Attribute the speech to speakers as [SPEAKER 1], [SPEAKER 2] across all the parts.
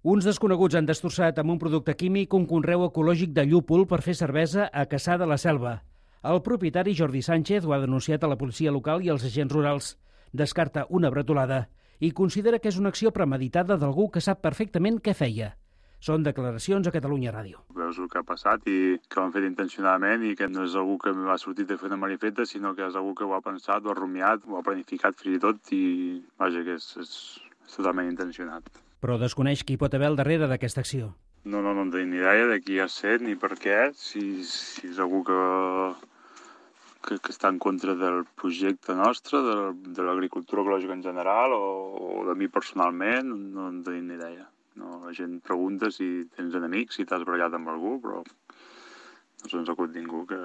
[SPEAKER 1] Uns desconeguts han destrossat amb un producte químic un conreu ecològic de llúpol per fer cervesa a Cassà de la Selva. El propietari, Jordi Sánchez, ho ha denunciat a la policia local i als agents rurals. Descarta una bretolada i considera que és una acció premeditada d'algú que sap perfectament què feia. Són declaracions a Catalunya Ràdio.
[SPEAKER 2] Veus el que ha passat i que ho han fet intencionadament i que no és algú que m'ha sortit de fer una marifeta, sinó que és algú que ho ha pensat, ho ha rumiat, ho ha planificat fins i tot i vaja, que és totalment intencionat.
[SPEAKER 1] Però desconeix qui pot haver al darrere d'aquesta acció.
[SPEAKER 2] No en tinc ni idea de qui ha estat ni per què, si és algú que està en contra del projecte nostre, de l'agricultura ecològica en general o de mi personalment, no en tinc ni idea. No, la gent pregunta si tens enemics, si t'has barallat amb algú, però no se'ns acut ningú que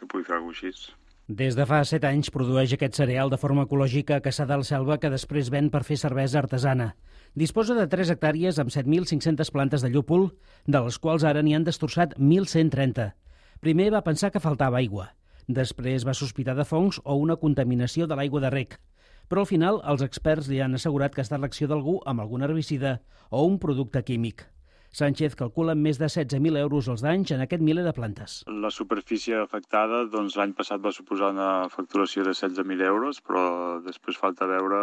[SPEAKER 2] pugui fer alguna cosa així.
[SPEAKER 1] Des de fa 7 anys produeix aquest cereal de forma ecològica a Cassà de la Selva que després ven per fer cervesa artesana. Disposa de 3 hectàrees amb 7.500 plantes de llúpol, de les quals ara n'hi han destrossat 1.130. Primer va pensar que faltava aigua. Després va sospitar de fongs o una contaminació de l'aigua de rec. Però al final els experts li han assegurat que ha estat l'acció d'algú amb algun herbicida o un producte químic. Sánchez calcula més de 16.000 euros els danys en aquest miler de plantes.
[SPEAKER 2] La superfície afectada l'any passat va suposar una facturació de 16.000 euros, però després falta veure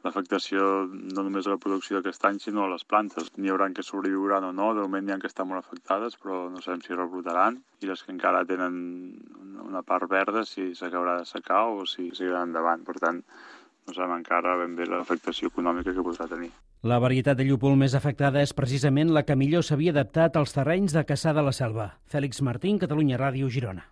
[SPEAKER 2] l'afectació no només a la producció d'aquest any, sinó a les plantes. N'hi haurà que sobreviuran o no, de moment n'hi ha que estan molt afectades, però no sabem si rebrotaran, i les que encara tenen una part verda, si s'acabarà de secar o si seguiran endavant. Per tant, no sabem encara ben bé l'afectació econòmica que podrà tenir.
[SPEAKER 1] La varietat de llúpol més afectada és precisament la que millor s'havia adaptat als terrenys de Cassà de la Selva. Fèlix Martín, Catalunya Ràdio, Girona.